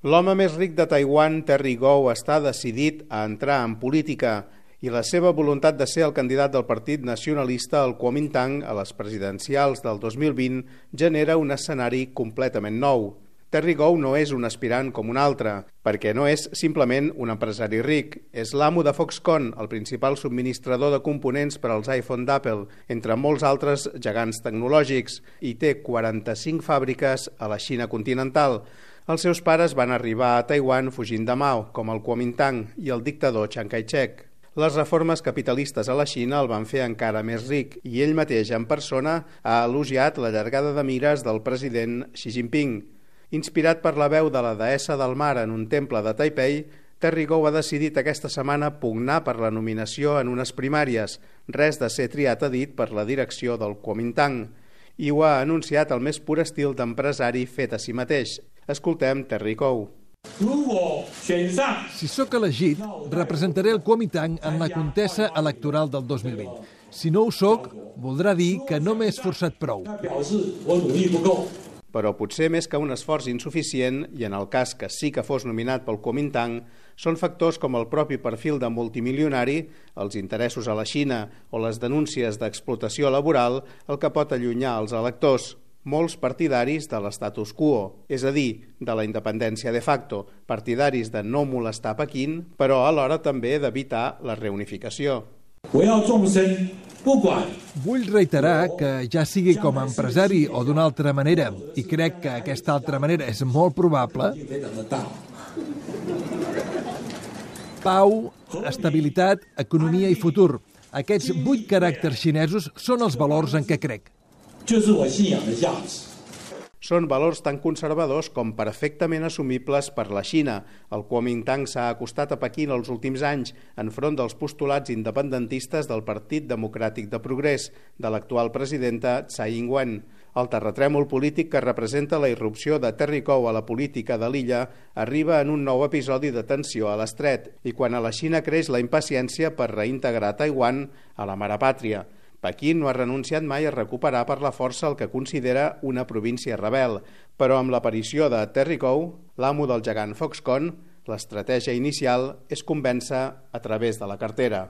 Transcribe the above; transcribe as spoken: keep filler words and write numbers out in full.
L'home més ric de Taiwan, Terry Gou, està decidit a entrar en política i la seva voluntat de ser el candidat del Partit Nacionalista al Kuomintang a les presidencials del dos mil vint genera un escenari completament nou. Terry Gou no és un aspirant com un altre, perquè no és simplement un empresari ric. És l'amo de Foxconn, el principal subministrador de components per als iPhone d'Apple, entre molts altres gegants tecnològics, i té quaranta-cinc fàbriques a la Xina continental. Els seus pares van arribar a Taiwan fugint de Mao, com el Kuomintang i el dictador Chiang Kai-shek. Les reformes capitalistes a la Xina el van fer encara més ric i ell mateix en persona ha elogiat la llargada de mires del president Xi Jinping. Inspirat per la veu de la deessa del mar en un temple de Taipei, Terry Gou ha decidit aquesta setmana pugnar per la nominació en unes primàries, res de ser triat, ha dit, per la direcció del Kuomintang. I ho ha anunciat el més pur estil d'empresari fet a si mateix. Escoltem Terry Gou. Si sóc elegit, representaré el Kuomintang en la contesa electoral del dos mil vint. Si no ho sóc, voldrà dir que no m'he esforçat prou. Però potser més que un esforç insuficient, i en el cas que sí que fos nominat pel Kuomintang, són factors com el propi perfil de multimilionari, els interessos a la Xina o les denúncies d'explotació laboral el que pot allunyar els electors, molts partidaris de l'estatus quo, és a dir, de la independència de facto, partidaris de no molestar Pequín, però alhora també d'evitar la reunificació. Vull reiterar que ja sigui com a empresari o d'una altra manera, i crec que aquesta altra manera és molt probable, pau, estabilitat, economia i futur. Aquests vuit caràcters xinesos són els valors en què crec. Són valors tan conservadors com perfectament assumibles per la Xina. El Kuomintang s'ha acostat a Pequín els últims anys enfront dels postulats independentistes del Partit Democràtic de Progrés, de l'actual presidenta Tsai Ing-wen. El terratrèmol polític que representa la irrupció de Terry Gou a la política de l'illa arriba en un nou episodi de tensió a l'estret i quan a la Xina creix la impaciència per reintegrar Taiwan a la mare pàtria. Pequín no ha renunciat mai a recuperar per la força el que considera una província rebel, però amb l'aparició de Terry Gou, l'amo del gegant Foxconn, l'estratègia inicial és convèncer a través de la cartera.